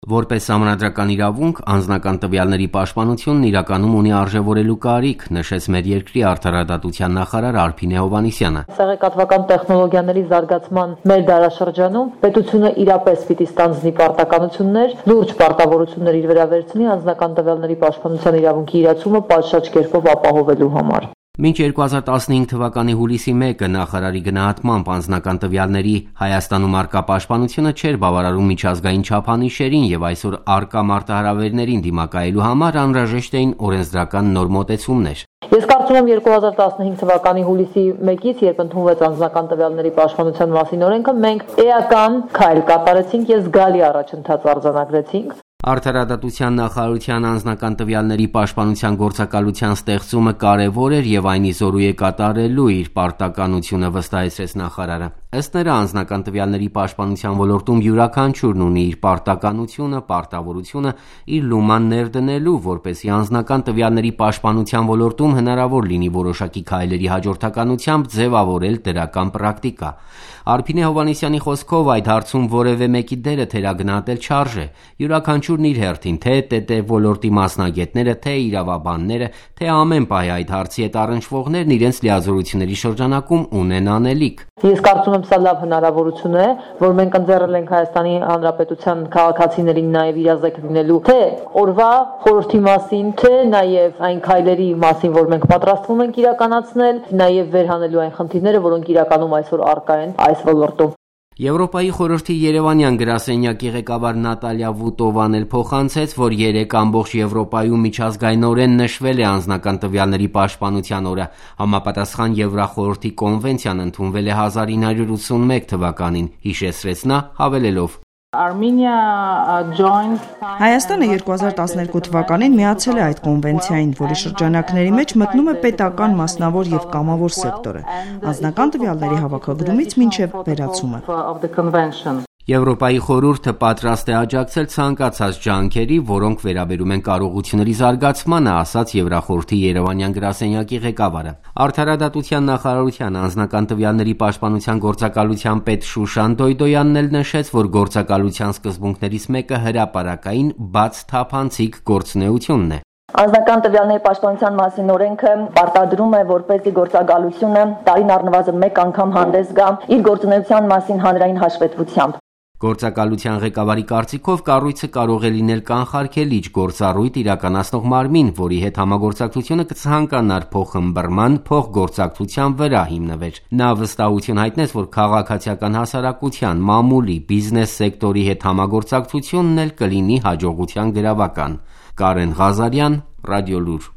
Որպես համանդրական իրավունք, անձնական տվյալների պաշտպանությունն իրականում ունի արժևորելու կարիք, նշեց մեր երկրի արդարադատության նախարար Արփինե Հովհաննիսյանը։ Տեղեկատվական տեխնոլոգիաների զարգացման մեր դարաշրջանում պետությունը իրապես պիտի ստանձնի պարտականություններ, լուրջ պարտավորություններ իր վրա վերցնի անձնական տվյալների պաշտպանության իրավունքի իրացումը պատշաճ կերպով ապահովելու համար։ Մինչ 2015 թվականի հուլիսի 1-ը նախարարի գնահատմամբ անձնական տվյալների Հայաստանում առկա պաշտպանությունը չէր բավարարում միջազգային չափանիշերին եւ այսօր առկա մարտահրավերներին դիմակայելու համար անհրաժեշտ էին օրենսդրական նոր մոտեցումներ։ Ես կարծում եմ 2015 թվականի հուլիսի 1-ից, երբ ընդունվեց անձնական տվյալների պաշտպանության մասին օրենքը, մենք էական քայլ կատարեցինք եւ զգալի առաջընթաց արձանագրեցինք։ Արդարադատության նախարարության անձնական տվյալների պաշտպանության գործակալության ստեղծումը կարևոր էր եւ այն իզորու է կատարելու իր պարտականությունը, վստահեցրեց նախարարը։ Ըստ նրա, անձնական տվյալների պաշտպանության ոլորտում յուրաքանչյուրն ունի իր պարտականությունը, պարտավորությունը իր լուման ներդնելու, որպեսզի անձնական տվյալների պաշտպանության ոլորտում հնարավոր լինի որոշակի քայլերի հաջորդականությամբ ձևավորել դրական պրակտիկա։ Արփինե Հովհաննիսյանի խոսքով այդ հարցում որևէ մեկի դերը թերագնահատել չարժե։ Յուրաքանչյուրն իր հերթին, թե ՏՏ ոլորտի մասնագետները, թե իրավաբանները, թե ամեն պահի այդ հարցի հետ առնչվողներն իրենց լիազորությունների շրջանակում ունեն անելիք։ Ես կարծում եմ, սա լավ հնարավորություն է, որ մենք ընձեռել ենք Հայաստանի Հանրապետության քաղաքացիներին նաև իրազեկ լինելու թե օրվա խորհրդի մասին, թե նաև այն քայլերի մասին, որ մենք պատրաստվում ենք իրականացնել, նաև վերհանելու այն խնդիրները, որոնք իրականում այսօր առկա են այս ոլորտում։ Եվրոպայի խորհրդի երևանյան գրասենյակի ղեկավար Նատալիա Վուտովան էլ փոխանցեց, որ 3 ամբողջ Եվրոպայում միջազգայնորեն նշվել է անձնական տվյալների պաշտպանության օրը։ Համապատասխան Եվրախորհրդի կոնվենցիան ընդունվել է 1981 թվականին, հիշեցրեց նա, հավելելով. Հայաստանը 2012 թվականին միացել է այդ կոնվենցիային, որի շրջանակների մեջ մտնում է պետական, մասնավոր եւ կամավոր սեկտորը, անձնական տվյալների հավաքագրումից մինչեւ վերացումը։ Եվրոպայի խորհուրդը պատրաստ է աջակցել ցանկացած ջանքերի, որոնք վերաբերում են կարողությունների զարգացմանը, ասաց Եվրախորհրդի երևանյան գրասենյակի ղեկավարը։ Արդարադատության նախարարության անձնական տվյալների պաշտպանության գործակալության պետ Շուշան Դոյդոյանն էլ նշեց, որ գործակալության սկզբունքներից մեկը հրապարակային բաց թափանցիկ գործունեությունն է։ Անձնական տվյալների պաշտպանության մասին օրենքը պարտադրում է, որպեսզի գործակալությունը տարին առնվազն 1 անգամ հանդես գա իր գործունեության մասին հանրային հաշվետվությամբ։ Գործակալության ղեկավարի կարծիքով կառույցը կարող է լինել կանխարգելիչ գործառույթ իրականացնող մարմին, որի հետ համագործակցությունը կցանկանար փոխըմբռնման, փոխգործակցության վրա հիմնվեր։ Նա վստահություն հայտնեց, որ քաղաքացիական հասարակության, մամուլի, բիզնես սեկտորի հետ համագործակցությունն էլ կլինի հաջողության գրավական։ Կարեն Ղազարյան, Ռադիոլուր։